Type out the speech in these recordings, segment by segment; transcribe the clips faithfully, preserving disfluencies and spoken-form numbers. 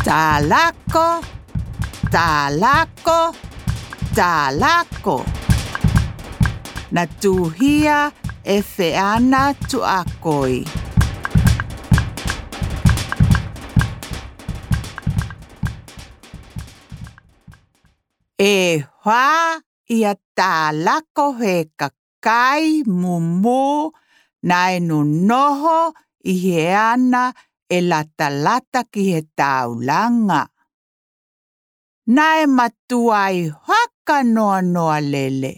Tālako, tālako, tālako. Na tuʻuhia e Feana Tuʻakoi. E hoa ia tālako he kakai mumū naʻe nonoho ʻi he ana e latalata ki he taulanga. Naʻe matuai haka noanoa lele.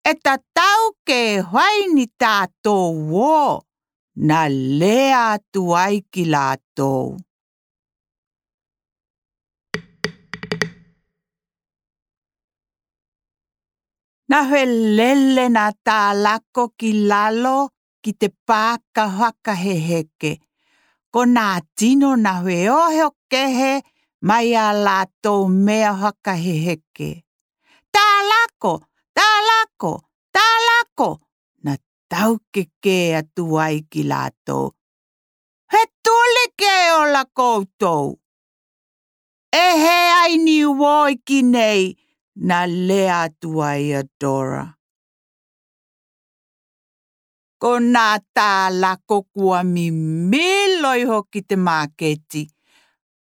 E tatau ke hoaini tātou ō, na lea atu ai ki lātou. Na felele nā tālako ki lalo ki te pāka fakaheheke. Ko nā tino na feoheo kehe mai ā lātou mea fakaheheke. Tālako, tālako, tālako, na taukekē atu ai ki lātou. He tuli ke ola koutou. E hē ai ni ō i ki nei, na lea atu ai a Dora. Ko nā tālako kua mimilo iho ki te māketi.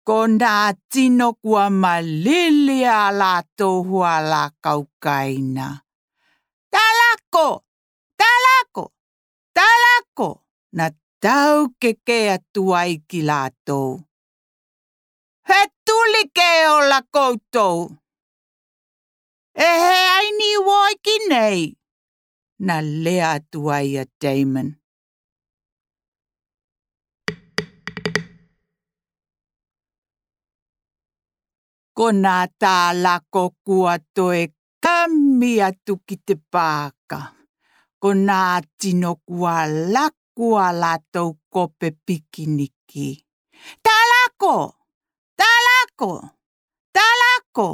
Ko nā tino kua malili ā lātou hualākau kaina. Tālako! Tālako! Tālako! Na taukekē atu ai ki lātou. He tuli ke ola koutou. E hē ai ni ō i ki nei, na lea atu ai a Damon. Ko nā tālako kua toe kami atu ki te pāka. Ko nā tino kua laku ā lātou kope pikiniki. Tālako! Tālako! Tālako!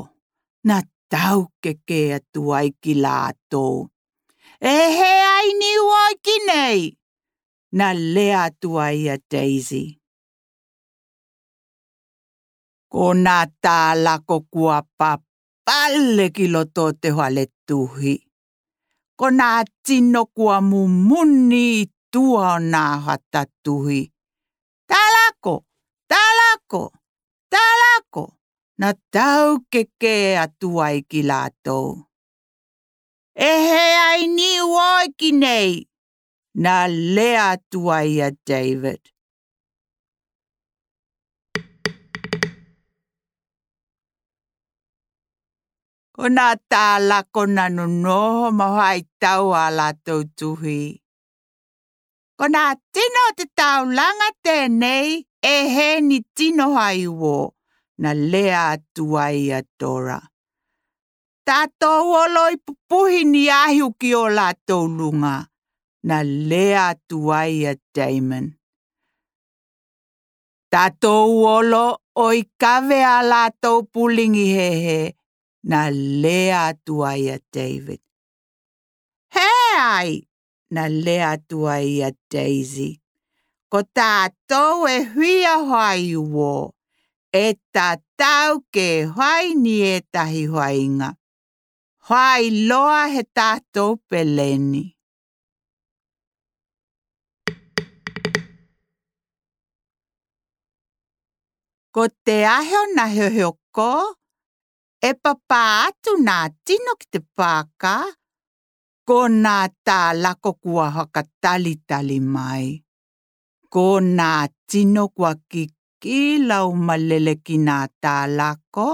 Na taukekē atu ai ki lātou. E hē ai ni ō i ki nei, na lea atu ai a Daisy. Ko nā tālako kua papale ki loto o te fale tuhi. Ko nā tino kua mumuni i tua o nā fata tuhi. Tālako! Tālako! Tālako! Na taukekē atu ai ki lātou. E hē ai ni ō i ki nei, na lea atu ai a David. Ko nā tālako na nonoho ma faitau ā lātou tuhi. Ko nā tino o te taulanga tenei, e hē ni tino fai ō, na lea atu ai a Dora. Tātou olo i pupuhi ni ahu ki o lātou lunga, na lea atu ai a Damon. Tātou olo ʻo i kave ā lātou pulingi hehe, na lea atu ai a David. Hē ai, na lea atu ai a Daisy. Ko tātou e fia fai ō, e tatau ke fai ni ētahi fainga. Fai loa he tātou peleni. Ko te aho na heoheo ko, e papa atu nā tino ki te pāka, ko nā tālako kua fakatalitali mai. Ko nā tino kua kikila ʻo malele ki nā tālako,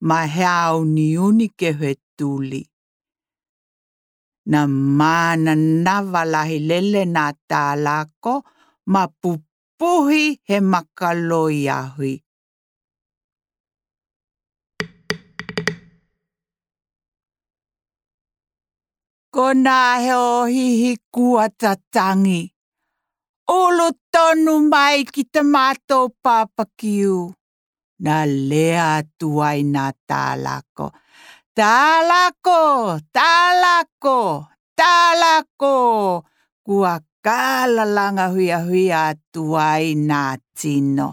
ma he auniuni ke fetuli. Na mānava lahi lele nā tālako, ma pupuhi he makaloi ahu. Ko nā he ʻohihi kua tatangi. Ulu tonu mai ki te mātou papakiu. Na lea atu ai nā tālako. Tālako, tālako, tālako. Kua kālalanga huiahuia atu ai nā tino.